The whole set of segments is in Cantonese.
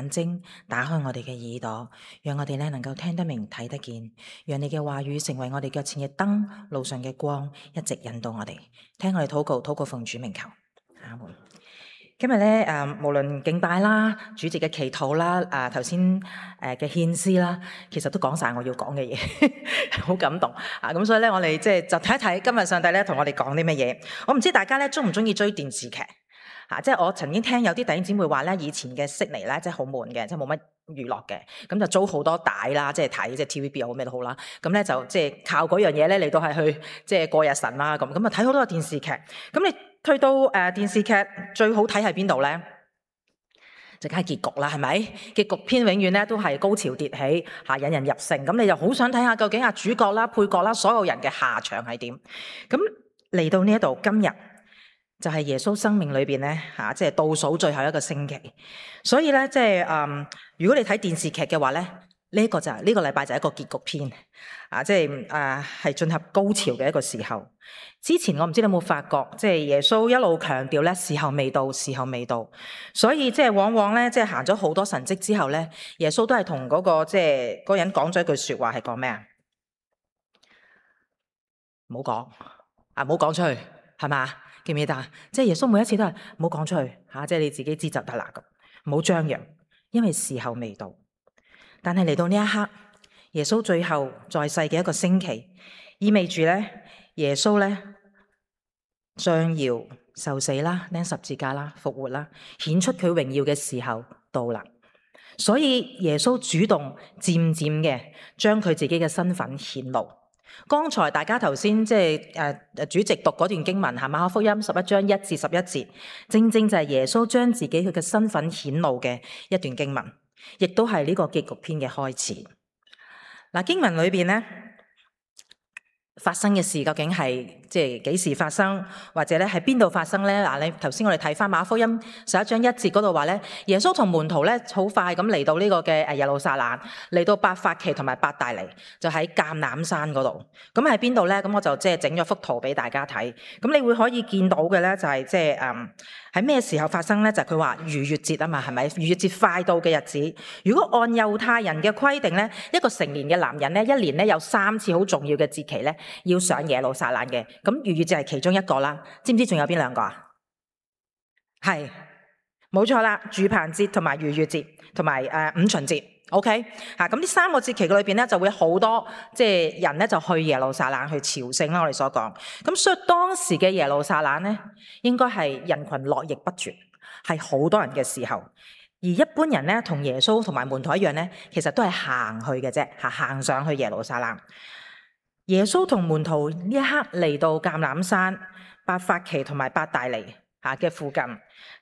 眼睛，打開我哋嘅耳朵，讓我哋咧能夠聽得明、睇得見，讓你嘅話語成為我哋腳前嘅燈，路上嘅光，一直引導我哋。聽我哋禱告，禱告奉主名求，阿門。今日咧無論敬拜啦、主席嘅祈禱啦、頭先嘅獻詩啦，其實都講晒我要講嘅嘢，好感動啊！咁所以咧，我哋就睇一睇今日上帝咧同我哋講啲乜嘢。我唔知大家咧中唔中意追電視劇嚇？即係我曾經聽有啲弟兄姊妹話咧，以前嘅悉尼咧即係好悶嘅，即係冇乜娛樂嘅，咁就租好多帶啦，即係睇即係 TVB 又好咩都好啦。咁咧就即係靠嗰樣嘢咧嚟到係去即係過日神啦咁。咁啊睇好多電視劇，咁你去到電視劇最好睇喺邊度咧？就梗係結局啦，係咪？結局篇永遠咧都係高潮迭起嚇，引人入勝。咁你就好想睇下究竟主角啦、配角啦、所有人嘅下場係點？咁嚟到呢一度，今日就係耶穌生命裏邊咧嚇，即係倒數最後一個星期。所以咧，即係如果你睇電視劇嘅話咧，呢個就係呢個禮拜就係一個結局篇啊！即係係進入高潮嘅一個時候。之前我唔知你有冇發覺，即係耶穌一路強調咧，時候未到，時候未到。所以即係往往咧，即係行咗好多神蹟之後咧，耶穌都係同嗰個即係嗰人講咗一句說話，係講咩啊？唔好講啊，唔好講出去，係嘛？記唔記得？即係耶穌每一次都係唔好講出去吓，即係你自己知就得啦咁，唔好張揚，因為時候未到。但係嚟到呢一刻，耶穌最後在世嘅一個星期，意味住咧，耶穌咧將要受死啦、釘十字架啦、復活啦，顯出佢榮耀嘅時候到啦。所以耶穌主動漸漸嘅將佢自己嘅身份顯露。剛才大家頭先即係主席讀嗰段經文係馬可福音11章1至11節，正正就係耶穌將自己佢嘅身份顯露嘅一段經文，亦都係呢個結局篇嘅開始。嗱，經文裏邊咧發生嘅事究竟係即係幾時發生，或者咧喺邊度發生咧？嗱，你頭先我哋睇翻馬可福音11章1節嗰度話咧，耶穌同門徒咧好快咁嚟到呢個嘅耶路撒冷，嚟到伯法其同埋伯大尼，就喺橄欖山嗰度。咁喺邊度咧？咁我就即係整咗幅圖俾大家睇。咁你會可以見到嘅咧就係即係喺咩時候發生咧？就係佢話逾越節啊嘛，係咪？逾越節快到嘅日子，如果按猶太人嘅規定咧，一個成年嘅男人咧，一年咧有3次好重要嘅節期咧，要上耶路撒冷嘅。咁逾越節係其中一個啦，知唔知仲有邊兩個啊？係，冇錯啦，住棚節同埋逾越節同埋五旬節。OK 嚇，咁呢3個節期裏邊咧就會好多即係人咧就去耶路撒冷去朝聖啦。我哋所講，咁所以當時嘅耶路撒冷咧應該係人群絡繹不絕，係好多人嘅時候。而一般人咧同耶穌同埋門徒一樣咧，其實都係行去嘅啫，行上去耶路撒冷。耶穌同門徒呢一刻嚟到橄欖山、伯法其同埋伯大尼嘅附近。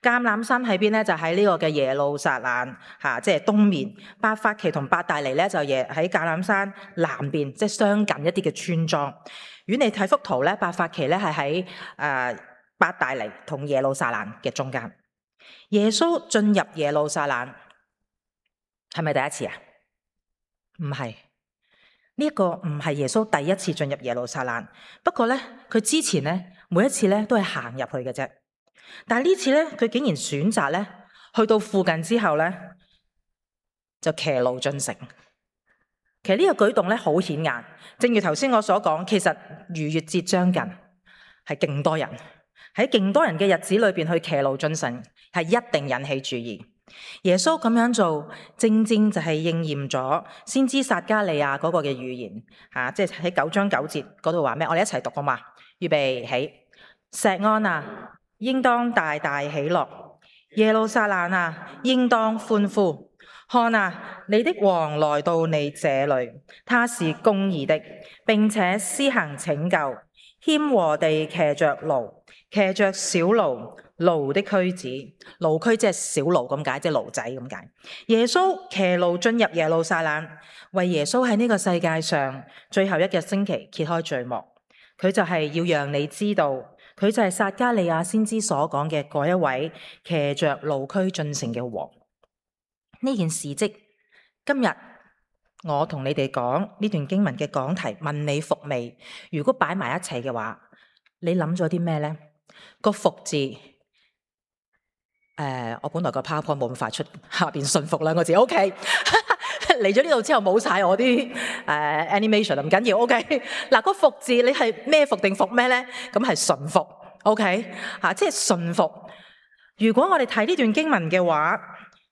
橄欖山喺邊咧？就喺呢個嘅耶路撒冷即係東面。伯法其同伯大尼咧就喺橄欖山南邊，即係相近一啲嘅村莊。如果你睇幅圖咧，伯法其咧係喺伯大尼同耶路撒冷嘅中間。耶穌進入耶路撒冷係咪第一次啊？唔係。呢一個唔係耶穌第一次進入耶路撒冷，不過咧佢之前咧每一次咧都係行入去嘅啫，但係呢次咧佢竟然選擇咧去到附近之後咧就騎驢進城。其實呢個舉動咧好顯眼，正如頭先我所講，其實逾越節將近，係勁多人喺勁多人嘅日子裏邊去騎驢進城，係一定引起注意。耶穌咁樣做，正正就係應驗咗先知撒迦利亞嗰個嘅預言即係喺9章9節嗰度話咩？我哋一齊讀好嘛？預備起，錫安啊，應當大大喜樂；耶路撒冷啊，應當歡呼。看啊，你的王來到你這裏，他是公義的，並且施行拯救，謙和地騎着驢，騎着小驢。驢的駒子，驢駒即係小驢咁解，即係驢仔咁解。耶穌騎驢進入耶路撒冷，為耶穌喺呢個世界上最後一個星期揭開序幕。佢就係要讓你知道，佢就係撒迦利亞先知所講嘅嗰一位騎着驢駒進城嘅王。呢件事蹟，今日我同你哋講呢段經文嘅講題，問你服未？如果擺埋一齊嘅話，你諗咗啲咩呢？個服字我本來個 PowerPoint 冇咁快出，下邊順服兩個字 OK。嚟咗呢度之後冇晒我啲animation，唔緊要 OK。嗱，個服字你係咩服定服咩咧？咁係順服 OK 即係順服。如果我哋睇呢段經文嘅話，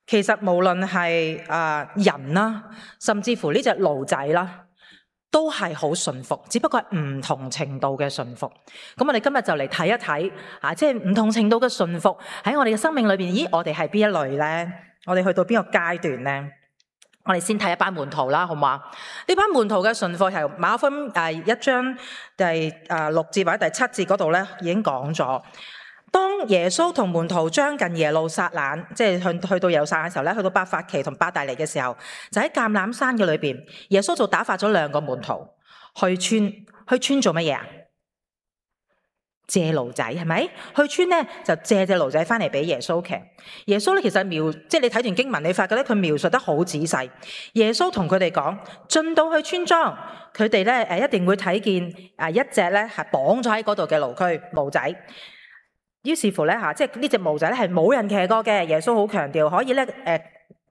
其實無論係人啦，甚至乎呢隻驢仔啦，都係好順服，只不過係唔同程度嘅順服。咁我哋今日就嚟睇一睇即係唔同程度嘅順服喺我哋嘅生命裏邊。咦，我哋係邊一類咧？我哋去到邊個階段咧？我哋先睇一班門徒啦，好嘛？呢班門徒嘅順服係馬可福音1章第6節或者第7節嗰度咧，已經講咗。當耶穌同門徒將近耶路撒冷，即係去到耶路撒冷嘅時候咧，去到伯法其同伯大尼嘅時候，就喺橄欖山嘅裏邊，耶穌就打發咗2個門徒去村做乜嘢啊？借驢仔係咪？去村咧就借隻驢仔翻嚟俾耶穌騎。耶穌咧其實即係你睇段經文，你發覺咧佢描述得好仔細。耶穌同佢哋講，進到去村莊，佢哋咧一定會睇見一隻咧係綁咗喺嗰度嘅驢仔。於是乎咧即係呢隻驢仔咧係冇人騎過嘅。耶穌好強調，可以咧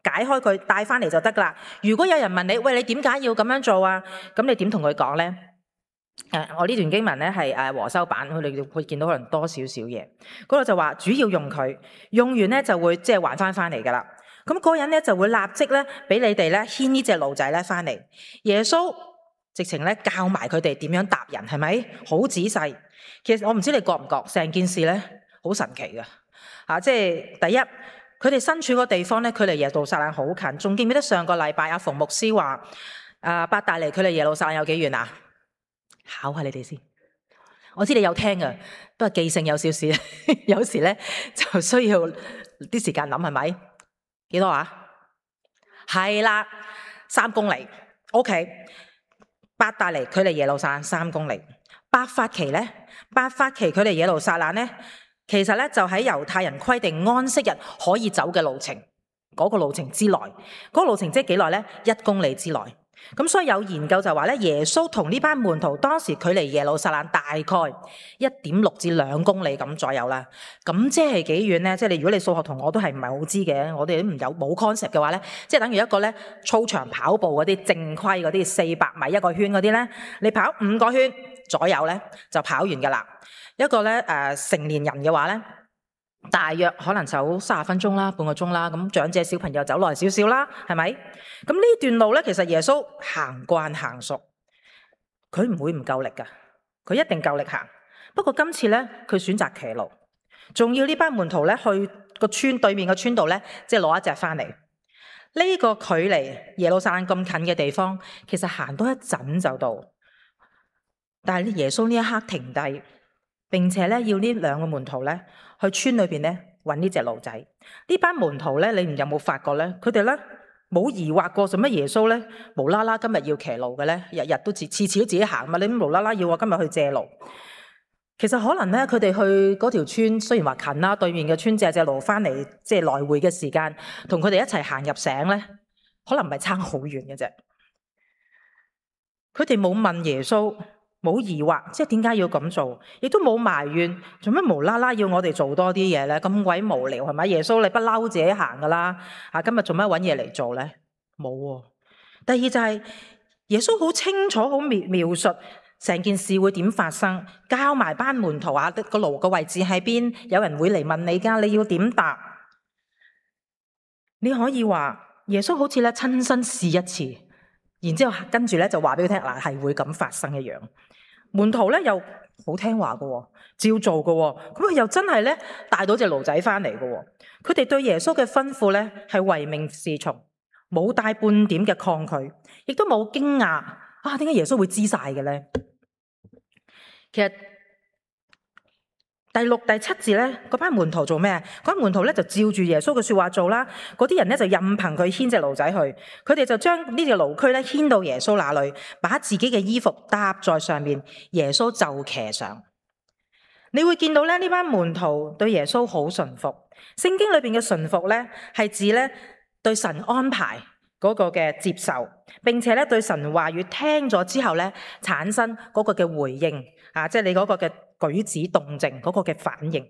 解開佢帶翻嚟就得噶啦。如果有人問你，喂，你點解要咁樣做啊？咁你點同佢講咧？我呢段經文咧係和修版，佢哋會見到可能多少少嘢。嗰度就話主要用佢，用完咧就會即係還翻嚟噶啦。咁嗰人咧就會立即咧俾你哋咧牽呢隻驢仔咧翻嚟。耶穌直情咧教埋佢哋點樣搭人，係咪？好仔細。其實我唔知你覺唔覺，成件事咧好神奇噶即係第一，佢哋身處個地方咧，距離耶路撒冷好近。仲記唔記得上個禮拜阿馮牧師話伯大尼距離耶路撒冷有幾遠啊？考下你哋先，我知你有聽噶，不過記性有少少，有時咧就需要啲時間諗，係咪？幾多啊？係啦，3公里。OK， 伯大尼距離耶路撒冷3公里。伯法其距離耶路撒冷咧，其實咧就喺猶太人規定安息日可以走嘅路程，嗰個路程之內，嗰個路程即係幾耐咧？1公里之內。咁所以有研究就話咧，耶穌同呢班門徒當時距離耶路撒冷大概 1.6 至2公里咁左右啦。咁即係幾遠咧？即係如果你數學同我都係唔係好知嘅，我哋都冇 concept 嘅話咧，即係等於一個咧操場跑步嗰啲正規嗰啲400米一個圈嗰啲咧，你跑5個圈左右咧就跑完噶啦。一個咧成年人嘅話咧，大約可能走30分鐘啦，半個鐘啦。咁長者小朋友走耐少少啦，係咪？咁呢段路咧，其實耶穌行慣行熟，佢唔會唔夠力噶，佢一定夠力行。不過今次咧，佢選擇騎驢，仲要呢班門徒咧去個村對面個村度咧，即係攞一隻翻嚟。呢個距離耶路撒冷咁近嘅地方，其實行多一陣就到。但係耶穌呢一刻停低，並且咧要呢2個門徒咧去村裏邊咧搵呢隻驢仔。呢班門徒咧，你有冇發覺咧？佢哋咧冇疑惑過，做乜耶穌咧無啦啦今日要騎驢嘅咧？日日都次次都自己行嘛，你無啦啦要我今日去借驢？其實可能咧，佢哋去嗰條村雖然話近啦，對面嘅村借隻驢翻嚟，即係來回嘅時間，同佢哋一齊行入城咧，可能唔係差好遠嘅啫。佢哋冇問耶穌，冇疑惑，即係點解要咁做，亦都冇埋怨，做咩無啦啦要我哋做多啲嘢咧？咁鬼無聊係咪？耶穌你不嬲自己行噶啦，今日做咩搵嘢嚟做咧？冇喎。第二就係耶穌好清楚好描述成件事會點發生，教埋班門徒個驢嘅位置喺邊，有人會嚟問你噶，你要點答？你可以話耶穌好似咧親身試一次，然之後跟住咧就話俾佢聽嗱，係會咁發生一樣。門徒咧又好聽話噶，照做噶，咁佢又真係咧帶到隻驢仔翻嚟噶。佢哋對耶穌嘅吩咐咧係唯命是從，冇帶半點嘅抗拒，亦都冇驚訝點解耶穌會知晒嘅咧？其實第6、第7字咧，嗰班門徒做咩？嗰班門徒咧就照住耶穌嘅說話做啦。嗰啲人咧就任憑佢牽隻驢仔去，佢哋就將呢隻驢駒咧牽到耶穌那裏，把自己嘅衣服搭在上面，耶穌就騎上。你會見到咧呢班門徒對耶穌好順服。聖經裏邊嘅順服咧係指咧對神安排嗰個嘅接受，並且咧對神話語聽咗之後咧產生嗰個嘅回應即係你嗰個嘅舉止動靜嗰個嘅反應。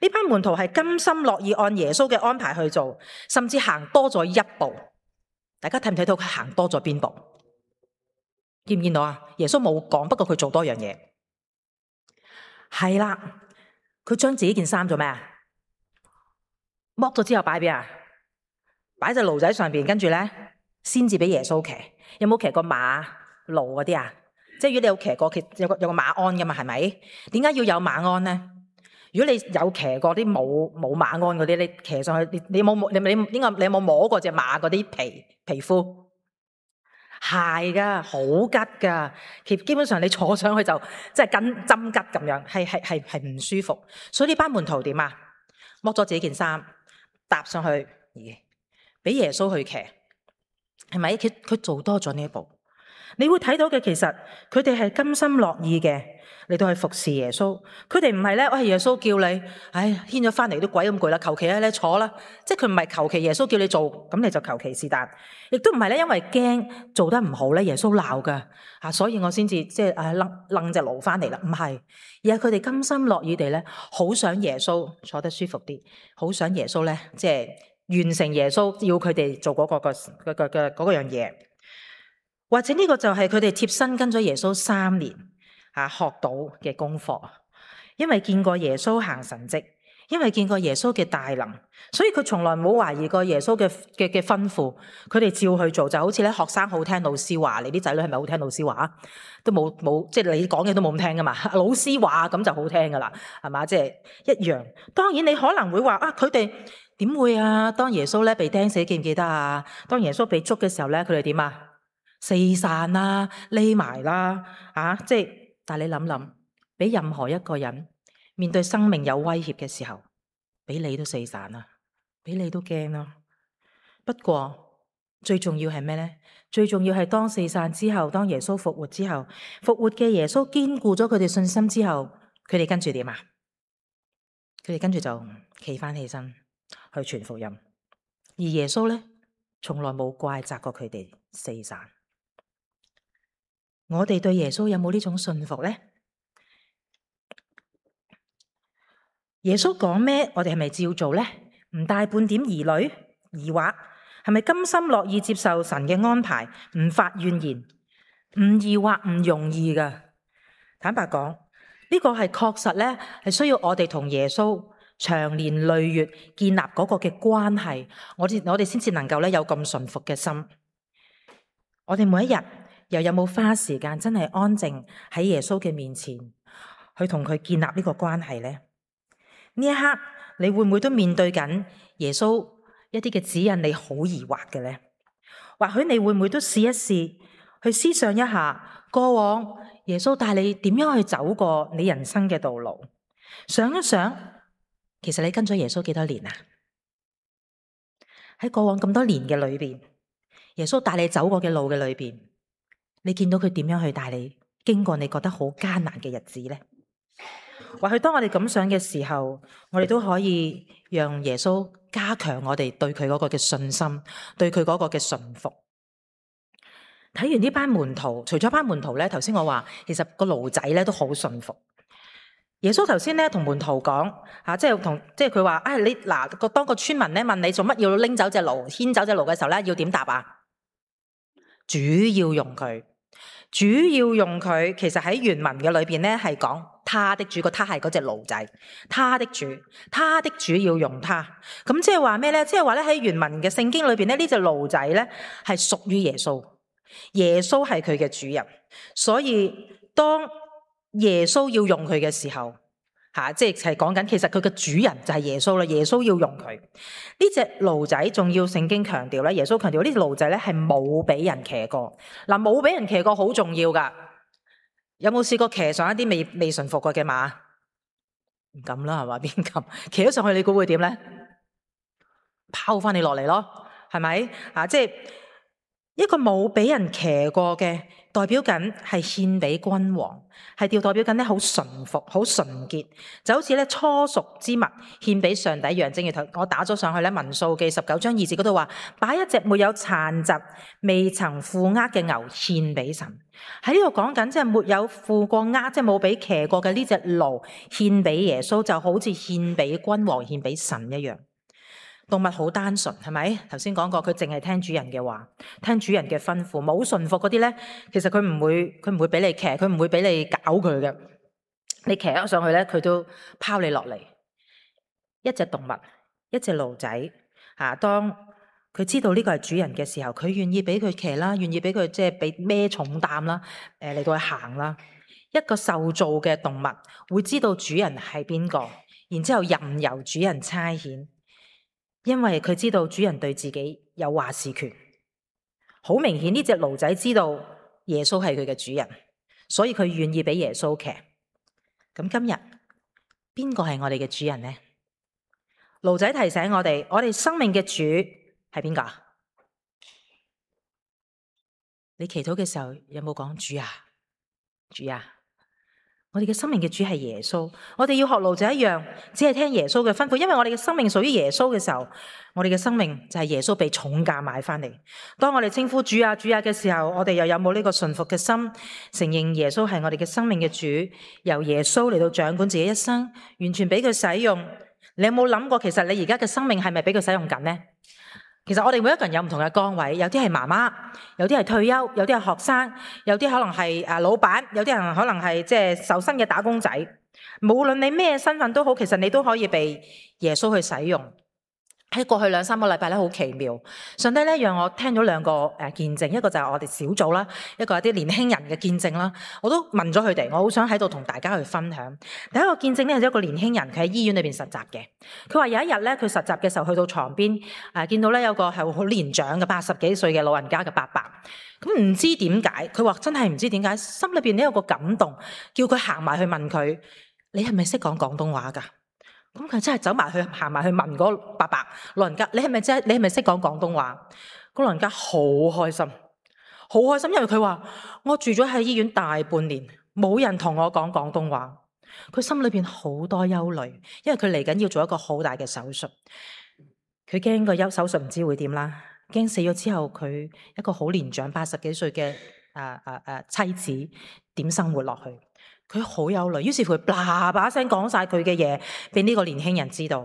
呢班門徒係甘心樂意按耶穌嘅安排去做，甚至行多咗一步。大家睇唔睇到佢行多咗邊步？見唔見到啊？耶穌冇講，不過佢做多樣嘢。係啦，佢將自己件衫做咩啊？剝咗之後擺邊啊？擺隻驢仔上邊，跟住咧先至俾耶穌騎。有冇騎過馬驢嗰啲啊？即係如果你有騎過，有個馬鞍噶嘛，係咪？點解要有馬鞍咧？如果你有騎過啲冇馬鞍嗰啲，你騎上去，你有冇摸過隻馬嗰啲皮膚？係噶，好吉噶。基本上你坐上去就即係跟針吉咁樣，係唔舒服。所以呢班門徒點啊？剝咗自己件衫，搭上去，俾耶穌去騎，係咪？佢做多咗呢一步。你會睇到嘅，其實佢哋係甘心樂意嘅嚟到去服侍耶穌。佢哋唔係咧，耶穌叫你，牽咗翻嚟都鬼咁攰啦，求其咧坐啦。即係佢唔係求其耶穌叫你做，咁你就求其是但。亦都唔係咧，因為驚做得唔好咧，耶穌鬧噶所以我先至即係掹隻驢翻嚟啦。唔係，而係佢哋甘心樂意地咧，好想耶穌坐得舒服啲，好想耶穌咧，即係完成耶穌要佢哋做嗰個樣嘢。或者呢個就係佢哋貼身跟咗耶穌3年學到嘅功課，因為見過耶穌行神蹟，因為見過耶穌嘅大能，所以佢從來冇懷疑過耶穌嘅吩咐，佢哋照去做。就好似咧，學生好聽老師話，你啲仔女係咪好聽老師話？都冇，即係你講嘅都冇咁聽噶嘛。老師話咁就好聽噶啦，係嘛？即係一樣。當然你可能會話佢哋點會啊？當耶穌咧被釘死，記唔記得啊？當耶穌被捉嘅時候咧，佢哋點啊？四散啦，匿埋啦，即係，但係你諗諗，俾任何一個人面對生命有威脅嘅時候，俾你都四散啦，俾你都驚啦。不過最重要係咩咧？最重要係當四散之後，當耶穌復活之後，復活嘅耶穌堅固咗佢哋信心之後，佢哋跟住點啊？佢哋跟住就企翻起身去傳福音，而耶穌咧從來冇怪責過佢哋四散。我哋對耶穌有冇呢種信服呢？耶穌講咩，我哋係咪照做呢？唔帶半點疑慮、疑惑，係咪甘心樂意接受神嘅安排，唔發怨言，唔疑惑，唔容易噶。坦白講，呢個係確實咧，係需要我哋同耶穌長年累月建立嗰個嘅關係，我哋先至能夠咧有咁順服嘅心。我哋每一日又有冇花時間真係安靜喺耶穌嘅面前去同佢建立呢個關係呢？呢一刻你會唔會都面對緊耶穌一啲嘅指引，你好疑惑嘅呢？或許你會唔會都試一試去思想一下過往耶穌帶你點樣去走過你人生嘅道路？想一想，其實你跟咗耶穌幾多年啊？喺過往咁多年嘅裏邊，耶穌帶你走過嘅路嘅裏邊，你見到佢點樣去帶你經過你覺得好艱難嘅日子呢？或許當我哋咁想嘅時候，我哋都可以讓耶穌加強我哋對佢嗰個嘅信心，對佢嗰個嘅順服。睇完呢班門徒，除咗班門徒咧，頭先我話其實個驢仔咧都好順服。耶穌頭先咧同門徒講即係佢話你嗱，當個村民咧問你做乜要拎走隻驢，牽走隻驢嘅時候咧，要點答啊？主要用佢，主要用佢。其實喺原文嘅裏邊咧係講他的主，個他係嗰隻驢仔，他的主，他的主要用他。咁即係話咩咧？即係話咧喺原文嘅聖經裏邊咧，呢隻驢仔咧係屬於耶穌，耶穌係佢嘅主人。所以當耶穌要用佢嘅時候，即係講緊，其實佢嘅主人就係耶穌啦。耶穌要用佢呢隻驢仔，仲要聖經強調咧，耶穌強調呢隻驢仔咧係冇俾人騎過。嗱，冇俾人騎過好重要噶。有冇試過騎上一啲未馴服過嘅馬？唔敢啦，係嘛？邊敢騎咗上去？你估會點咧？拋翻你落嚟咯，係咪？即係一個冇俾人騎過嘅，代表緊係獻俾君王，係代表緊咧好純服、好純潔，就好似咧初熟之物獻俾上帝一樣。正如我打咗上去咧，民數記19章2節嗰度話，把一隻沒有殘疾、未曾負軛嘅牛獻俾神。喺呢度講緊即係沒有負過軛，即係冇俾騎過嘅呢隻驢獻俾耶穌，就好似獻俾君王、獻俾神一樣。動物好單純，係咪？頭先講過，佢淨係聽主人嘅話，聽主人嘅吩咐，冇順服嗰啲咧，其實佢唔會俾你騎，佢唔會俾你搞佢嘅。你騎咗上去咧，佢都拋你落嚟。一隻動物，一隻驢仔，當佢知道呢個係主人嘅時候，佢願意俾佢騎啦，願意俾佢即係俾孭重擔啦，嚟到去行啦。一個受造嘅動物會知道主人係邊個，然之後任由主人差遣。因為佢知道主人對自己有話事權，好明顯呢隻驢仔知道耶穌係佢嘅主人，所以佢願意俾耶穌騎。咁今日邊個係我哋嘅主人呢？驢仔提醒我哋生命嘅主係邊個？你祈禱嘅時候有冇講主啊？主啊！我哋嘅生命嘅主係耶穌，我哋要學驢仔一樣，只係聽耶穌嘅吩咐。因為我哋嘅生命屬於耶穌嘅時候，我哋嘅生命就係耶穌被重價買翻嚟。當我哋稱呼主啊主啊嘅時候，我哋又有冇呢個順服嘅心，承認耶穌係我哋嘅生命嘅主，由耶穌嚟到掌管自己一生，完全俾佢使用。你有冇諗過，其實你而家嘅生命係咪俾佢使用緊呢？其實我哋每一個人有唔同嘅崗位，有啲係媽媽，有啲係退休，有啲係學生，有啲可能係老闆，有啲人可能係即係受薪嘅打工仔。無論你咩身份都好，其實你都可以被耶穌去使用。喺過去2-3個禮拜咧，好奇妙。上帝咧讓我聽咗2個見證，一個就係我哋小組啦，一個係啲年輕人嘅見證啦。我都問咗佢哋，我好想喺度同大家去分享。第一個見證咧係一個年輕人，佢喺醫院裏邊實習嘅。佢話有一日咧，佢實習嘅時候去到床邊，見到咧有個係好年長嘅80幾歲嘅老人家嘅伯伯。咁唔知點解，佢話真係唔知點解，心裏邊咧有個感動，叫佢行埋去問佢：你係咪識講廣東話㗎？咁佢真係走埋去行埋去問嗰個伯伯老人家：你係咪識講廣東話？嗰老人家好開心，好開心，因為佢話我住咗喺醫院大半年，冇人同我講廣東話。佢心裏邊好多憂慮，因為佢嚟緊要做一個好大嘅手術，佢驚個手術唔知會點啦，驚死咗之後佢一個好年長80幾歲嘅妻子點生活落去。佢好憂慮，於是乎佢叭叭聲講晒佢嘅嘢俾呢個年輕人知道。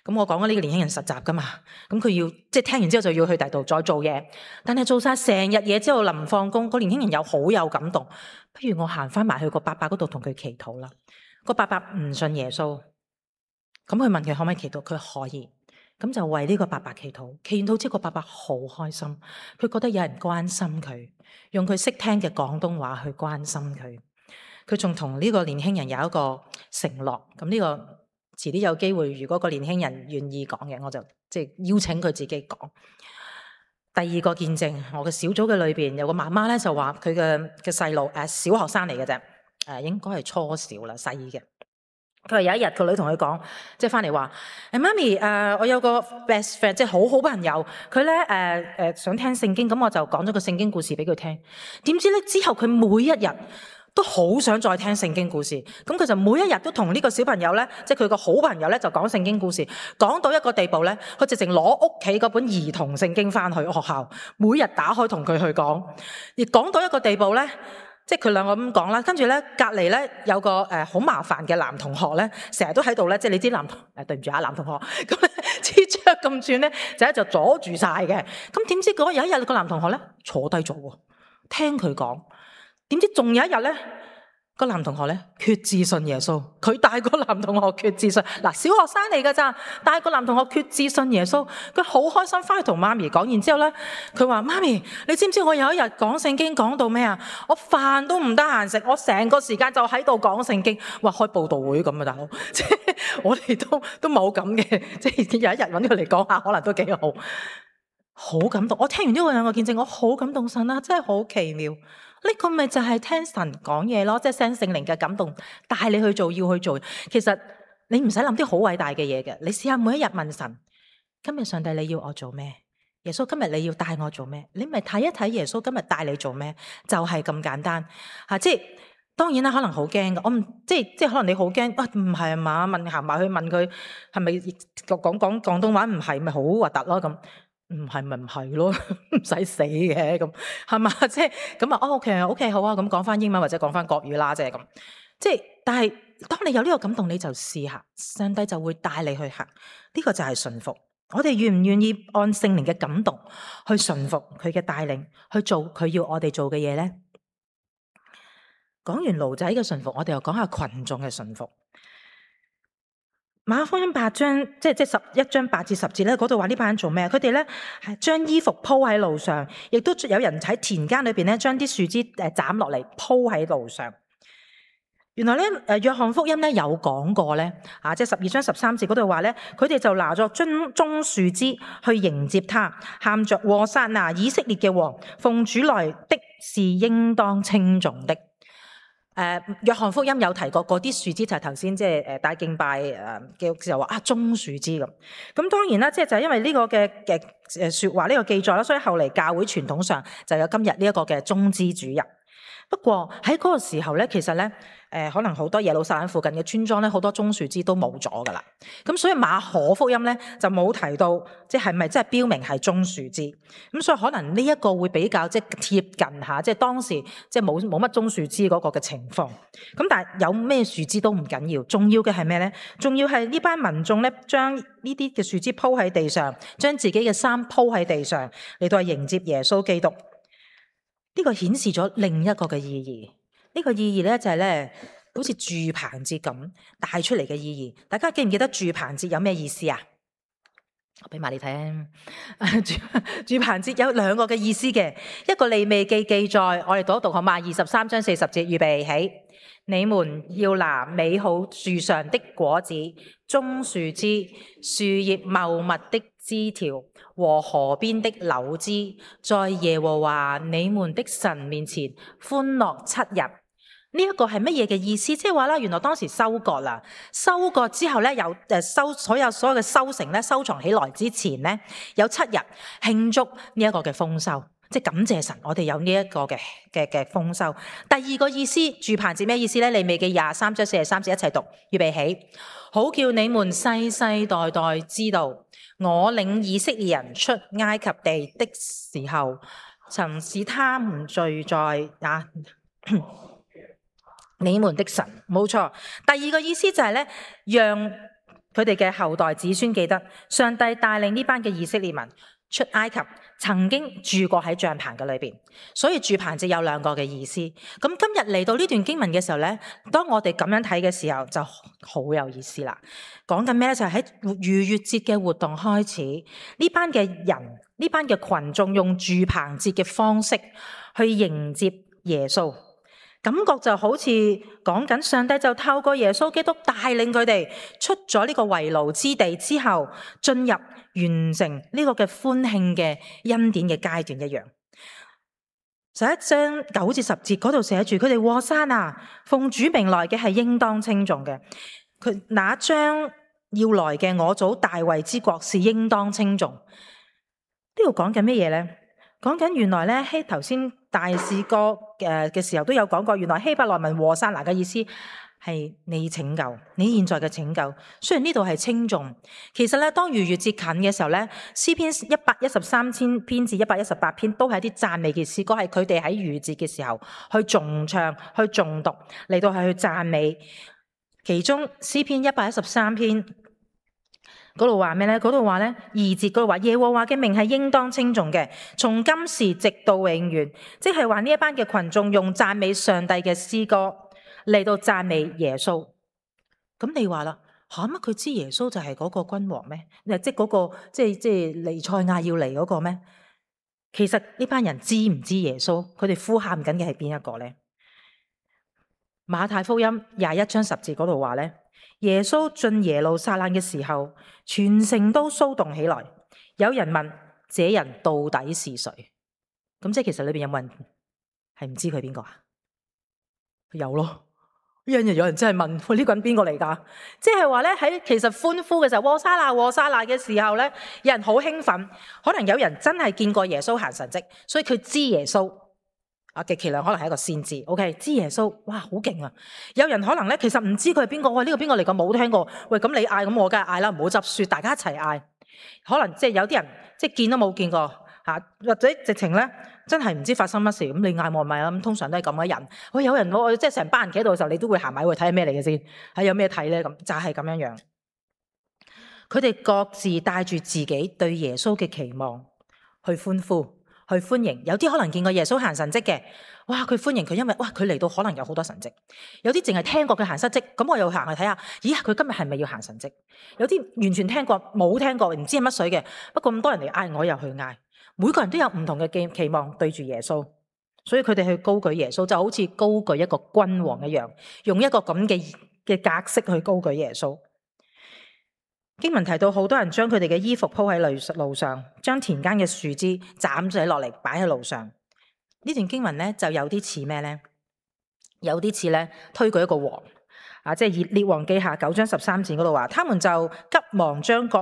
咁我講緊呢個年輕人實習噶嘛，咁佢要即係聽完之後就要去第度再做嘢。但係做晒成日嘢之後，臨放工，個年輕人又好有感動。不如我行翻埋去個伯伯嗰度同佢祈禱啦。個伯伯唔信耶穌，咁佢問佢可唔可以祈禱，佢可以。咁就為呢個伯伯祈禱，祈禱之後個伯伯好開心，佢覺得有人關心佢，用佢識聽嘅廣東話去關心佢。佢仲同呢個年輕人有一個承諾，咁呢個遲啲有機會，如果個年輕人願意講嘅，我就即係邀請佢自己講。第二個見證，我嘅小組嘅裏邊有個媽媽咧，就話佢嘅細路小學生嚟嘅啫，應該係初小啦，細嘅。佢話有一日個女同佢講，即係翻嚟話：媽咪，我有個 best friend，即係好好朋友，佢咧想聽聖經，咁我就講咗個聖經故事俾佢聽。點知咧之後佢每一日都好想再聽聖經故事，咁佢就每一日都同呢個小朋友咧，即係佢個好朋友咧，就講聖經故事，講到一個地步咧，佢直情攞屋企嗰本兒童聖經翻去學校，每日打開同佢去講，而講到一個地步咧，即係佢兩個咁講啦，跟住咧隔離咧有個好麻煩嘅男同學咧，成日都喺度咧，即係你知男對唔住啊男同學，咁咧黐雀咁轉咧，就阻住晒嘅。咁點知有一日個男同學咧坐低咗喎，聽佢講。點知仲有一日咧，個男同學咧決志信耶穌，佢帶個男同學決志信，嗱，小學生嚟噶咋，帶個男同學決志信耶穌，佢好開心翻去同媽咪講，然之後咧，佢話媽咪，你知唔知我有一日講聖經講到咩啊？我飯都唔得閒食，我成個時間就喺度講聖經，哇，開佈道會咁啊大佬，即係我哋都冇咁嘅，即係有一日搵佢嚟講下，可能都幾好，好感動。我聽完呢兩個見證，我好感動神啊，真係好奇妙。呢個咪就係聽神講嘢咯，即係聽聖靈嘅感動帶你去做，要去做。其實你唔使諗啲好偉大嘅嘢嘅，你試下每一日問神：今日上帝你要我做咩？耶穌今日你要帶我做咩？你咪睇一睇耶穌今日帶你做咩，就係咁簡單吓。即係當然啦，可能好驚噶，我唔即係可能你好驚啊？唔係啊嘛？行埋去問佢係咪講廣東話？唔係咪好核突咯？咁唔係咪唔係咯？唔使死嘅咁係嘛？即係咁啊？OK 好啊，咁講翻英文或者講翻國語啦，即係咁。即係但係當你有呢個感動，你就試下，上帝就會帶你去行。呢個就係順服。我哋願唔願意按聖靈嘅感動去順服佢嘅帶領，去做佢要我哋做嘅嘢呢？講完驢仔嘅順服，我哋又講下群眾嘅順服。馬可福音8章，即係11章8至10節咧，嗰度話呢班人做咩？佢哋咧係將衣服鋪喺路上，亦都有人喺田間裏邊咧將啲樹枝斬落嚟鋪喺路上。原來咧，約翰福音咧有講過咧，即係12章13節嗰度話咧，佢哋就拿咗棕樹枝去迎接他，喊着和散那以色列嘅王，奉主來的是應當稱頌的。約翰福音有提過嗰啲樹枝就係頭先即係帶敬拜嘅時候話棕樹枝咁。咁當然啦，即係就係因為呢個嘅説話呢個記載啦，所以後嚟教會傳統上就有今日呢一個嘅棕枝主日。不過喺嗰個時候咧，其實咧，可能好多耶路撒冷附近嘅村莊咧，好多棕樹枝都冇咗噶啦。咁所以馬可福音咧就冇提到，即係咪真係標明係棕樹枝？咁所以可能呢一個會比較即係貼近下，即係當時即係冇乜棕樹枝嗰個嘅情況。咁但係有咩樹枝都唔緊要，重要嘅係咩咧？重要係呢班民眾咧，將呢啲嘅樹枝鋪喺地上，將自己嘅衫鋪喺地上，嚟到迎接耶穌基督。呢個顯示咗另一個嘅意義，呢個意義咧就係咧，好似住棚節咁帶出嚟嘅意義。大家記唔記得住棚節有咩意思啊？我俾埋你睇啊！住棚節有兩個嘅意思嘅，一個利未記記載，我哋讀一讀好嘛？23章40節，預備起，你們要拿美好樹上的果子、棕樹枝、樹葉茂密的枝條和河邊的柳枝，在耶和華你們的神面前歡樂7日。呢一個係乜嘢嘅意思？即係話咧，原來當時收割啦，收割之後咧，有所有嘅收成咧，收藏起來之前咧，有7日慶祝呢一個嘅豐收，即係感謝神，我哋有呢一個嘅豐收。第二個意思，住棚節咩意思咧？利未記23章43節一齊讀，預備起，好叫你們世世代代知道，我領以色列人出埃及地的時候，曾使他們聚在你們的神。冇錯。第二個意思就係咧，讓佢哋嘅後代子孫記得上帝帶領呢班嘅以色列民出埃及，曾經住過喺帳棚嘅裏邊，所以住棚節有兩個嘅意思。咁今日嚟到呢段經文嘅時候咧，當我哋咁樣睇嘅時候就好有意思啦。講緊咩咧？就係喺逾越節嘅活動開始，呢班嘅人，呢班嘅群眾用住棚節嘅方式去迎接耶穌。感覺就好似講緊上帝就透過耶穌基督帶領佢哋出咗呢個為奴之地之後，進入完成呢個嘅歡慶嘅恩典嘅階段一樣。11章9至10節嗰度寫住，佢哋和散那，奉主名來嘅係應當稱頌嘅。佢那將要來嘅我祖大衛之國是應當稱頌。呢度講緊乜嘢咧？講緊原來咧，頭先大士歌嘅時候都有講過，原來希伯來文和散那嘅意思係你拯救，你現在嘅拯救。雖然呢度係稱頌，其實咧當逾越節近嘅時候咧，詩篇113篇至118篇都係一啲讚美嘅詩歌，係佢哋喺逾越節嘅時候去頌唱、去誦讀嚟到係去讚美。其中詩篇113篇。嗰度話咩咧？嗰度話咧2節嗰度話耶和華嘅名係應當稱頌嘅，從今時直到永遠，即係話呢一班嘅群眾用讚美上帝嘅詩歌嚟到讚美耶穌。咁你話啦，乜佢知耶穌就係嗰個君王咩？即係嗰個即係彌賽亞要嚟嗰個咩？其實呢班人知唔知耶穌？佢哋呼喊緊嘅係邊一個咧？馬太福音21章10節嗰度話咧。耶穌進耶路撒冷嘅時候，全城都騷動起來。有人問：這人到底是誰？咁即係其實裏邊有冇人係唔知佢邊個啊？有咯，有人真係問：喂，呢個人邊個嚟㗎？即係話咧，喺其實歡呼嘅時候，和散那和散那嘅時候咧，有人好興奮。可能有人真係見過耶穌行神蹟，所以佢知耶穌。極其量可能係一個先知，OK， 知耶穌，哇，好勁啊！有人可能咧，其實唔知佢係邊個，喂，呢個邊個嚟㗎？冇聽過。喂，咁你嗌，咁我梗係嗌啦，唔好執輸，大家一齊嗌。可能即係有啲人即係見都冇見過嚇，或者直情咧真係唔知發生乜事，咁你嗌我咪啦。咁通常都係咁嘅人。喂，有人我即係成班人企喺度嘅時候，你都會行埋去睇下咩嚟嘅先，係有咩睇咧？咁就係咁樣樣。佢哋各自帶住自己對耶穌嘅期望去歡呼。去歡迎，有啲可能見過耶穌行神蹟嘅，哇！佢歡迎佢，因為哇佢嚟到可能有好多神蹟。有啲淨係聽過佢行神蹟，咁我又行去睇下，咦佢今日係咪要行神蹟？有啲完全聽過冇聽過，唔知係乜水嘅，不過咁多人嚟嗌，我又去嗌。每個人都有唔同嘅期望對住耶穌，所以佢哋去高舉耶穌，就好似高舉一個君王一樣，用一個咁嘅格式去高舉耶穌。經文提到好多人將佢哋嘅衣服鋪喺路上，將田間嘅樹枝斬咗落嚟擺喺路上。呢段經文咧就有啲似咩咧？有啲似咧推舉一個王即係列王記下9章13節嗰度話，他們就急忙將各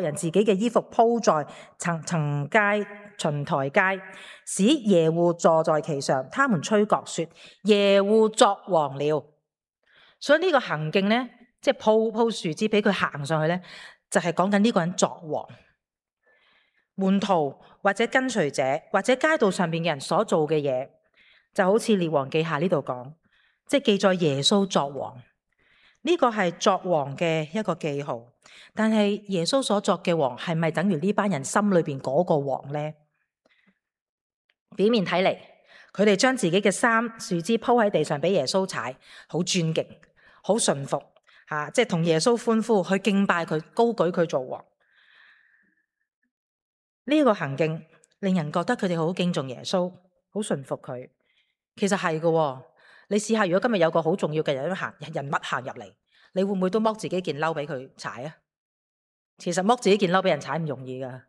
人自己嘅衣服鋪在層階巡台階，使耶戶坐在其上。他們吹角說：耶戶作王了。所以呢個行徑咧。即係鋪樹枝俾佢行上去咧，就係講緊呢個人作王。門徒或者跟隨者或者街道上邊嘅人所做嘅嘢，就好似列王記下呢度講，即係記載耶穌作王。呢個係作王嘅一個記號。但係耶穌所作嘅王係咪等於呢班人心裏邊嗰個王咧？表面睇嚟，佢哋將自己嘅衫樹枝鋪喺地上俾耶穌踩，好尊敬，好順服。即係同耶穌歡呼，去敬拜佢，高舉佢做王。呢個行徑令人覺得佢哋好敬重耶穌，好順服佢。其實係嘅，你試下如果今日有個好重要嘅人物行入嚟，你會唔會都剝自己件褸俾佢踩啊？其實剝自己件褸俾人踩唔容易噶。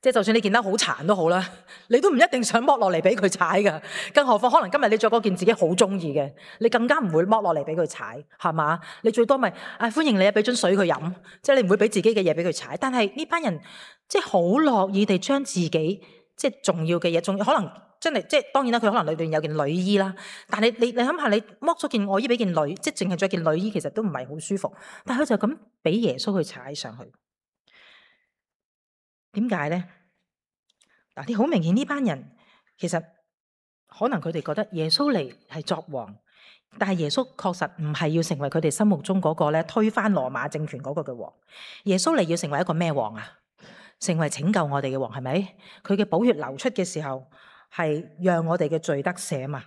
即係就算你件褸好殘都好啦，你都唔一定想剝落嚟俾佢踩噶。更何況可能今日你着嗰件自己好中意嘅，你更加唔會剝落嚟俾佢踩，係嘛？你最多咪歡迎你啊，俾樽水佢飲，即係你唔會俾自己嘅嘢俾佢踩。但係呢班人即係好樂意地將自己即係重要嘅嘢，仲可能真係即係當然啦，佢可能裏邊有件內衣啦。但係你諗下，你剝咗件外衣俾件內，即係淨係着件內衣，其實都唔係好舒服。但係佢就咁俾耶穌去踩上去。點解咧？嗱，你好明顯呢班人其實可能佢哋覺得耶穌嚟係作王，但係耶穌確實唔係要成為佢哋心目中嗰個咧推翻羅馬政權嗰個嘅王。耶穌嚟要成為一個咩王啊？成為拯救我哋嘅王，係咪？佢嘅寶血流出嘅時候係讓我哋嘅罪得赦嘛。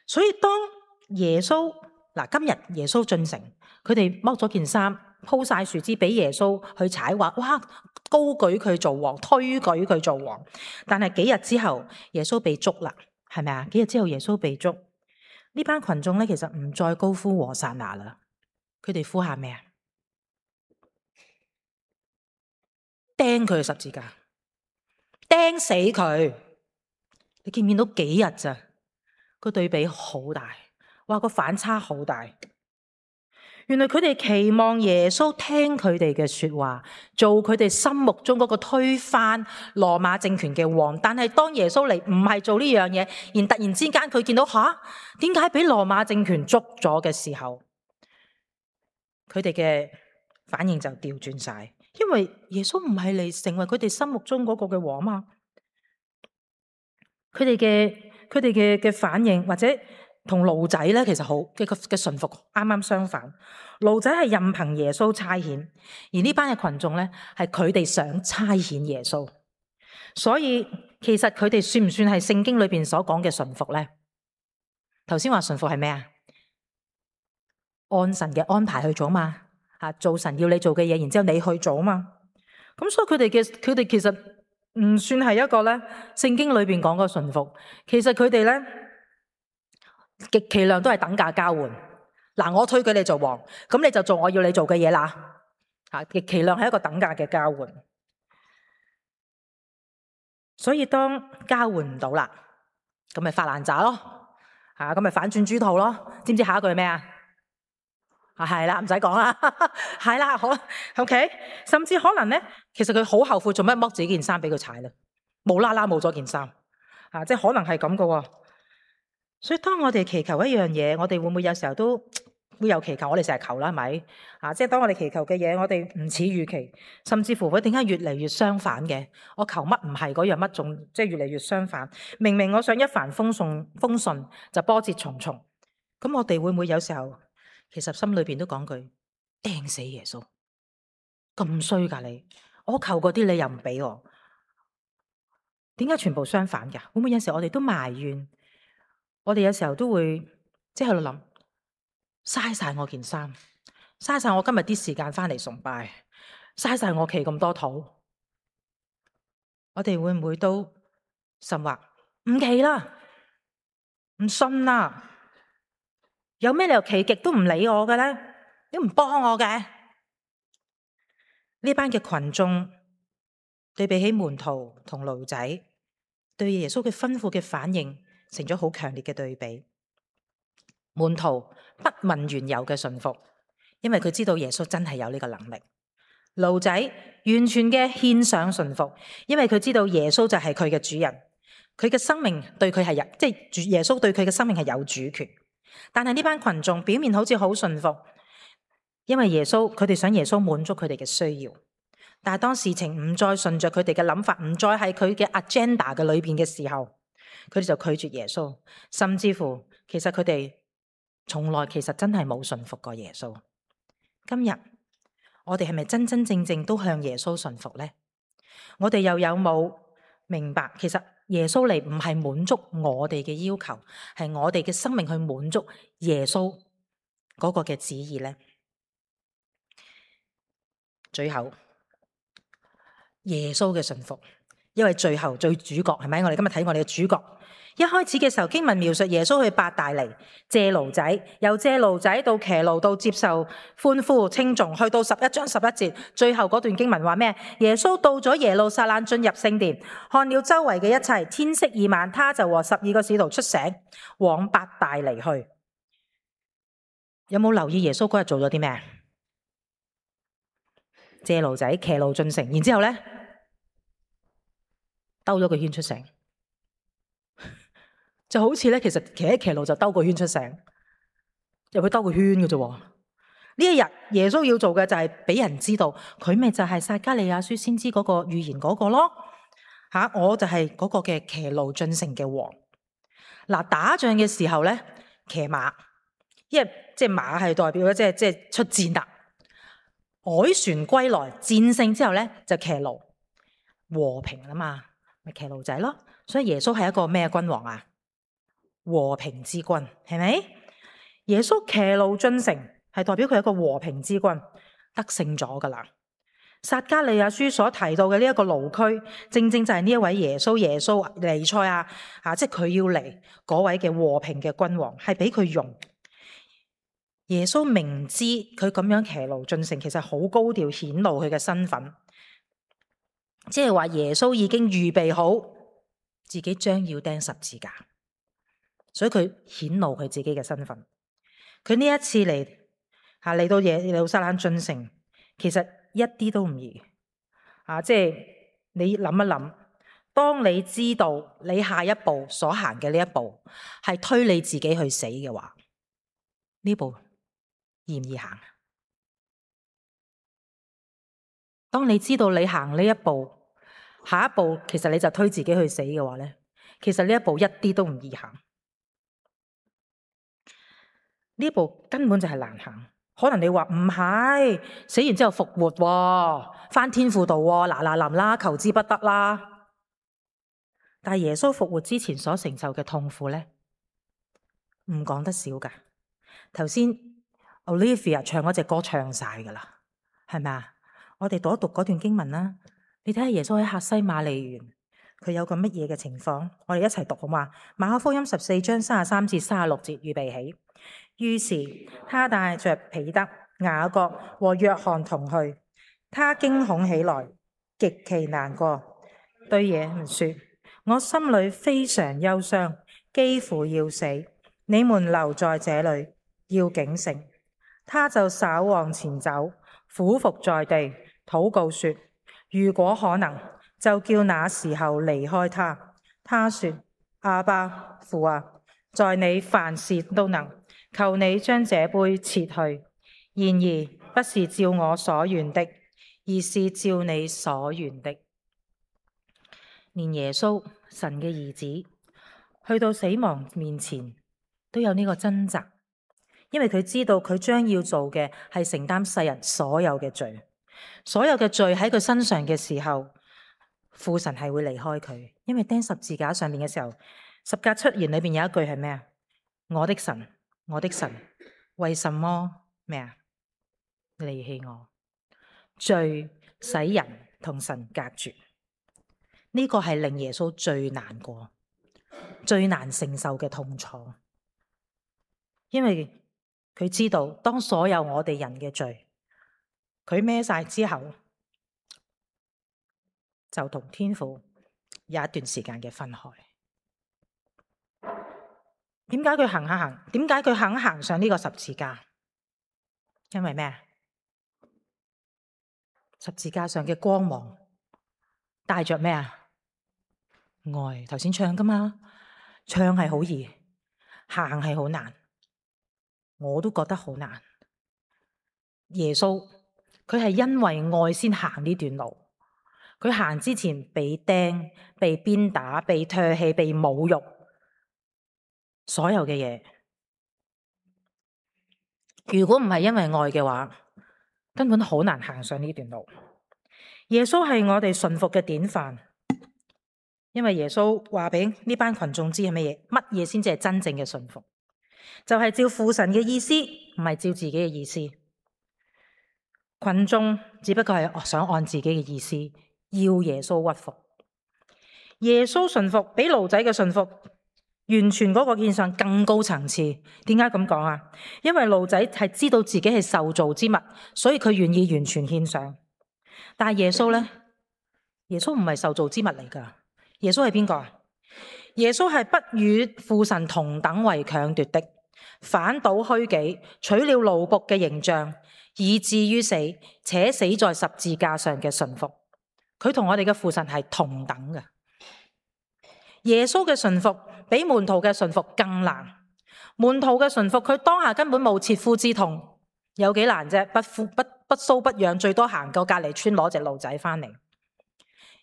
所以當耶穌今日耶穌進城，佢哋剝咗件衫，鋪晒樹枝俾耶穌去踩，話哇高舉佢做王，推舉佢做王。但係幾日之後，耶穌被捉啦，係咪啊？幾日之後耶穌被捉，呢班群眾咧其實唔再高呼和散那啦，佢哋呼喊咩啊？釘佢十字架，釘死佢。你見唔見到幾日咋？個對比好大，哇個反差好大。原來佢哋期望耶穌聽佢哋嘅說話，做佢哋心目中嗰個推翻羅馬政權嘅王。但係當耶穌嚟唔係做呢樣嘢，而突然之間佢見到點解俾羅馬政權捉咗嘅時候，佢哋嘅反應就調轉晒，因為耶穌唔係嚟成為佢哋心目中嗰個嘅王嘛。佢哋嘅反應或者同驢仔咧，其實好嘅順服啱啱相反。驢仔係任憑耶穌差遣，而呢班嘅群眾咧係佢哋想差遣耶穌。所以其實佢哋算唔算係聖經裏邊所講嘅順服咧？頭先話順服係咩啊？按神嘅安排去做嘛，做神要你做嘅嘢，然之後你去做嘛。咁所以佢哋其實唔算係一個咧聖經裏邊講嘅順服。其實佢哋咧極其量都係等價交換。我推舉你做王，咁你就做我要你做嘅嘢啦。極其量係一個等價嘅交換。所以當交換唔到啦，咁咪發爛渣咯。咁咪反轉豬肚咯。知唔知下一句係咩啊？係啦，唔使講啦，係啦，好 OK。甚至可能咧，其實佢好後悔做咩剝自己件衫俾佢踩啦，無啦啦冇咗件衫，即係可能係咁噶喎。所以當我哋祈求一樣嘢，我哋會唔會有時候都會有祈求？我哋成日求啦，係咪？即係當我哋祈求嘅嘢，我哋唔似預期，甚至乎佢點解越嚟越相反嘅？我求乜唔係嗰樣乜，仲即係越嚟越相反。明明我想一帆風順，就波折重重。咁我哋會唔會有時候其實心裏邊都講句釘死耶穌，咁衰噶你！我求嗰啲你又唔俾我，點解全部相反噶？會唔會有時候我哋都埋怨？我哋有時候都會即係喺度諗，嘥晒我件衫，嘥晒我今日啲時間翻嚟崇拜，嘥晒我祈咁多禱。我哋會唔會都甚或唔祈啦，唔信啦？有咩理由祈極都唔理我嘅咧？你唔幫我嘅？呢班嘅群眾對比起門徒同驢仔對耶穌嘅吩咐嘅反應，成咗好強烈嘅對比。門徒不問緣由嘅順服，因為佢知道耶穌真係有呢個能力。驢仔完全嘅獻上順服，因為佢知道耶穌就係佢嘅主人，佢嘅生命對佢係有，即係耶穌對佢嘅生命係有主權。但係呢班群眾表面好似好順服，因為耶穌佢哋想耶穌滿足佢哋嘅需要。但係當事情唔再順着佢哋嘅諗法，唔再係佢嘅 agenda 嘅裏邊嘅時候，佢哋就拒絕耶穌，甚至乎其實佢哋從來其實真係冇順服過耶穌。今日我哋係咪真真正正都向耶穌順服呢？我哋又有冇明白，其實耶穌嚟唔係滿足我哋嘅要求，係我哋嘅生命去滿足耶穌嗰個嘅旨意呢？最後耶穌嘅順服，因為最後最主角係咪？我哋今日睇我哋嘅主角。一開始嘅時候，經文描述耶穌去伯大尼借驢仔，由借驢仔到騎驢到接受歡呼稱頌，去到11章11節，最後嗰段經文話咩？耶穌到咗耶路撒冷，進入聖殿，看了周圍嘅一切，天色已晚，他就和12個使徒出城往伯大尼去。有冇留意耶穌嗰日做咗啲咩？借驢仔騎驢進城，然之後咧兜咗個圈出城。就好似咧，其實騎驢就兜個圈出城，入去兜個圈嘅啫。呢一日耶穌要做嘅就係俾人知道，佢咪就係撒迦利亞書先知嗰個預言嗰個咯。我就係嗰個嘅騎驢進城嘅王。嗱，打仗嘅時候咧，騎馬，因為即係馬係代表咧，即係出戰啦。凱旋歸來，戰勝之後咧就騎驢，和平啦嘛，咪騎驢仔咯。所以耶穌係一個咩君王啊？和平之君，係咪？耶穌騎驢進城係代表佢係一個和平之君，得勝咗噶啦。撒迦利亞書所提到嘅呢一個驢駒，正正就係呢一位耶穌彌賽亞即係佢要嚟嗰位嘅和平嘅君王，係俾佢用。耶穌明知佢咁樣騎驢進城，其實好高調顯露佢嘅身份，即係話耶穌已經預備好自己將要釘十字架。所以佢顯露佢自己嘅身份。佢呢一次嚟到耶路撒冷進城，其實一啲都唔易。即係你諗一諗，當你知道你下一步所行嘅呢一步係推你自己去死嘅話，呢步易唔易行？當你知道你行呢一步，下一步其實你就推自己去死嘅話咧，其實呢一步一啲都唔易行。呢步根本就係難行。可能你話唔係，死完之後復活，返天父度，嗱臨啦，求之不得啦。但係耶穌復活之前所承受嘅痛苦咧，唔講得少噶。頭先 Olivia 唱嗰隻歌唱晒噶啦，係咪啊？我哋讀一讀嗰段經文啦。你睇下耶穌喺客西馬尼園，佢有個乜嘢嘅情況？我哋一齊讀好嘛？馬可福音14章33至36節，預備起。於是他帶着彼得、雅各和約翰同去，他驚恐起來，極其難過，對耶穌說：我心裏非常憂傷，幾乎要死。你們留在這裏，要警醒。他就稍往前走，俯伏在地，禱告說：如果可能，就叫那時候離開他。他說：阿爸父啊，在你凡事都能，求你將這杯撤去。然而不是照我所願的，而是照你所願的。連耶穌，神嘅兒子，去到死亡面前都有呢個掙扎，因為佢知道佢將要做嘅係承擔世人所有嘅罪，所有嘅罪喺佢身上嘅時候，父神係會離開佢。因為釘十字架上面嘅時候，十架七言裏邊有一句係咩啊？我的神，我的神，為什麼咩啊？離棄我？罪使人同神隔絕，呢個係令耶穌最難過、最難承受嘅痛楚，因為佢知道當所有我哋人嘅罪佢孭晒之後，就同天父有一段時間嘅分開。點解佢行下行？點解佢肯行上呢個十字架？因為咩？十字架上嘅光芒帶着咩啊？愛。頭先唱噶嘛，唱係好易，行係好難，我都覺得好難。耶穌佢係因為愛先行呢段路，佢行之前被釘、被鞭打、被唾棄、被侮辱，所有嘅嘢。如果唔係因為愛嘅話，根本好難行上呢段路。耶穌係我哋順服嘅典範，因為耶穌話俾呢班群眾知係乜嘢先至係真正嘅順服，就係照父神嘅意思，唔係照自己嘅意思。群眾只不過係想按自己嘅意思要耶穌屈服。耶穌順服比驢仔嘅順服完全嗰個獻上更高層次。點解咁講啊？因為驢仔係知道自己係受造之物，所以佢願意完全獻上。但係耶穌呢？耶穌唔係受造之物嚟噶。耶穌係邊個啊？耶穌係不與父神同等為強奪的，反倒虛己，取了奴僕嘅形象，以至於死，且死在十字架上嘅順服。佢同我哋嘅父神係同等嘅。耶穌嘅順服比門徒嘅順服更難。門徒嘅順服，佢當下根本冇切膚之痛，有幾難啫？不搔不癢，最多行過隔離村攞隻驢仔翻嚟。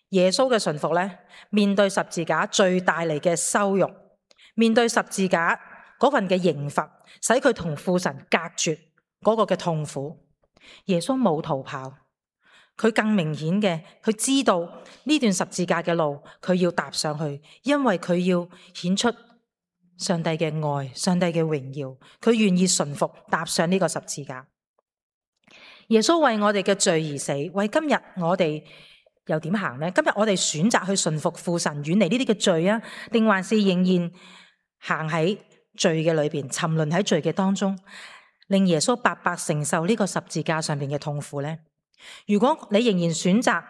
耶穌嘅順服呢，面對十字架最帶嚟嘅羞辱，面對十字架嗰份嘅刑罰，使佢同父神隔絕嗰個嘅痛苦，耶穌冇逃跑。佢更明顯嘅，佢知道呢段十字架嘅路，佢要踏上去，因為佢要顯出上帝嘅愛、上帝嘅榮耀，佢願意順服踏上呢個十字架。耶穌為我哋嘅罪而死，為今日我哋又點行呢？今日我哋選擇去順服父神，遠離呢啲嘅罪啊，定還是仍然行喺罪嘅裏邊，沉淪喺罪嘅當中，令耶穌白白承受呢個十字架上邊嘅痛苦呢？如果你仍然選擇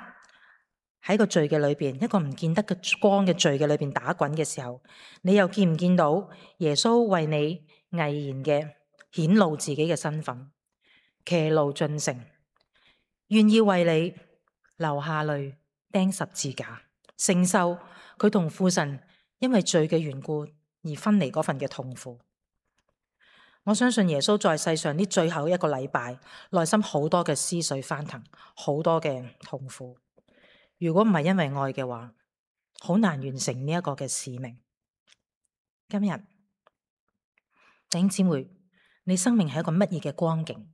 喺個罪嘅裏邊，一個唔見得嘅光嘅罪嘅裏邊打滾嘅時候，你又見唔見到耶穌為你毅然嘅顯露自己嘅身份？騎驢進城，願意為你流下淚釘十字架，承受佢同父神因為罪嘅緣故而分離嗰份嘅痛苦。我相信耶穌在世上呢最後一個禮拜，內心好多嘅思緒翻騰，好多嘅痛苦。如果唔係因為愛嘅話，好難完成呢一個嘅使命。今日弟兄姊妹，你生命係一個乜嘢嘅光景？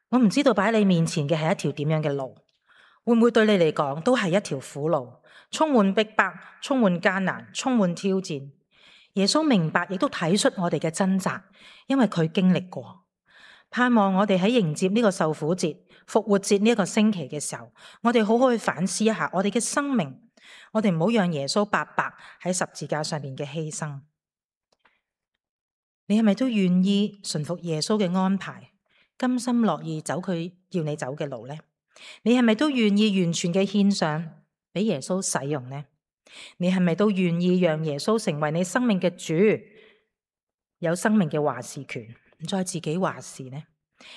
我唔知道擺喺你面前嘅係一條點樣嘅路，會唔會對你嚟講都係一條苦路，充滿逼迫，充滿艱難，充滿挑戰。耶穌明白，亦都睇出我哋嘅掙扎，因為佢經歷過。盼望我哋喺迎接呢個受苦節、復活節呢一個星期嘅時候，我哋好好去反思一下我哋嘅生命，我哋唔好讓耶穌白白喺十字架上面嘅犧牲。你係咪都願意順服耶穌嘅安排，甘心樂意走佢要你走嘅路呢？你係咪都願意完全嘅獻上俾耶穌使用呢？你係咪都願意讓耶穌成為你生命嘅主，有生命嘅話事權，唔再自己話事呢？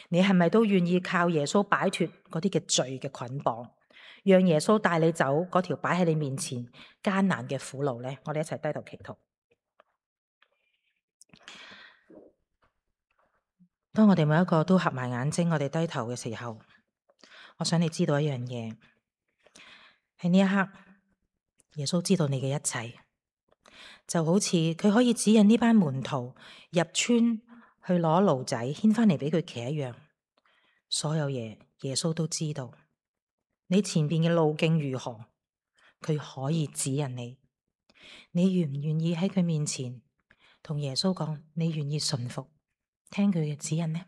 你係咪都願意靠耶穌擺脫嗰啲嘅罪嘅捆綁，讓耶穌帶你走嗰條擺喺你面前艱難嘅苦路呢？我哋一齊低頭祈禱。當我哋每一個都合埋眼睛，我哋低頭嘅時候，我想你知道一樣嘢，喺呢一刻，耶穌知道你嘅一切，就好似佢可以指引呢班門徒入村去攞驢仔牽返嚟俾佢騎一樣，所有嘢耶穌都知道。你前邊嘅路徑如何，佢可以指引你。你願唔願意喺佢面前同耶穌講，你願意順服聽佢嘅指引呢？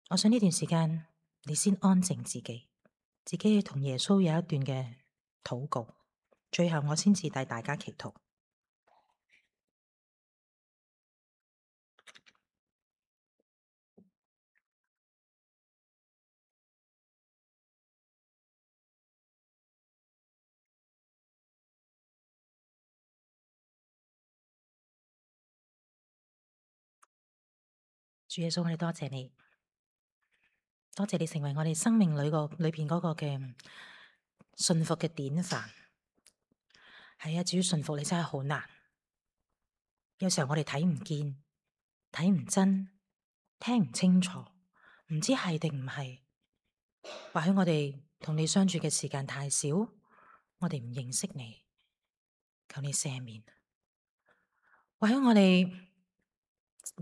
我想呢段時間你先安靜自己同耶穌有一段嘅禱告，最後我先至帶大家祈禱。主耶穌，我哋多謝你，多謝你成為我哋生命裏邊嗰個嘅順服嘅典範。係啊，至於順服你真係好難，有時候我哋睇唔見、睇唔真、聽唔清楚，唔知係定唔係。或許我哋同你相處嘅時間太少，我哋唔認識你，求你赦免。或許我哋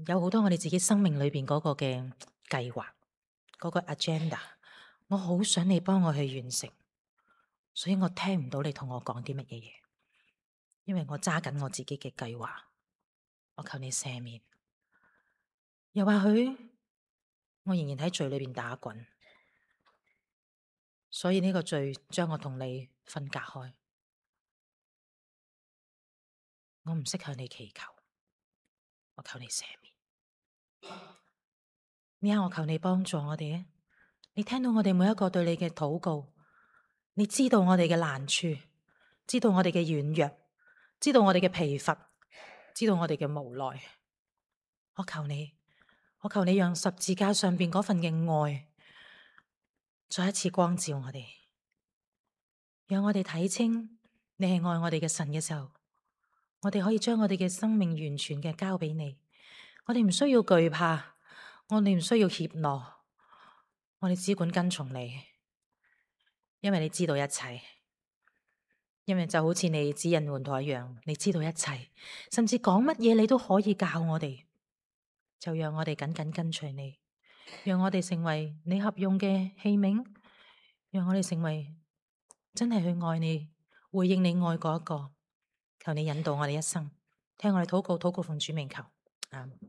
有好多我哋自己生命裏邊嗰個嘅計劃，嗰個 agenda，我好想你幫我去完成，所以我聽唔到你同我講啲乜嘢嘢，因為我揸緊我自己嘅計劃，我求你赦免。又或許我仍然喺罪裏邊打滾，所以呢個罪將我同你分隔開，我唔識向你祈求，我求你赦免。呢刻我求你幫助我哋，你聽到我哋每一個對你嘅禱告，你知道我哋嘅難處，知道我哋嘅軟弱，知道我哋嘅疲乏，知道我哋嘅無奈。我求你讓十字架上邊嗰份嘅愛再一次光照我哋，讓我哋睇清你係愛我哋嘅神嘅時候，我哋可以將我哋嘅生命完全嘅交俾你。我哋唔需要懼怕，我哋唔需要怯懦，我哋只管跟從你，因為你知道一切，因為就好似你指引門徒一樣，你知道一切，甚至講乜嘢你都可以教我哋。就讓我哋緊緊跟隨你，讓我哋成為你合用嘅器皿，讓我哋成為真係去愛你、回應你愛嗰一個。求你引導我哋一生，聽我哋禱告，禱告奉主名求，阿們。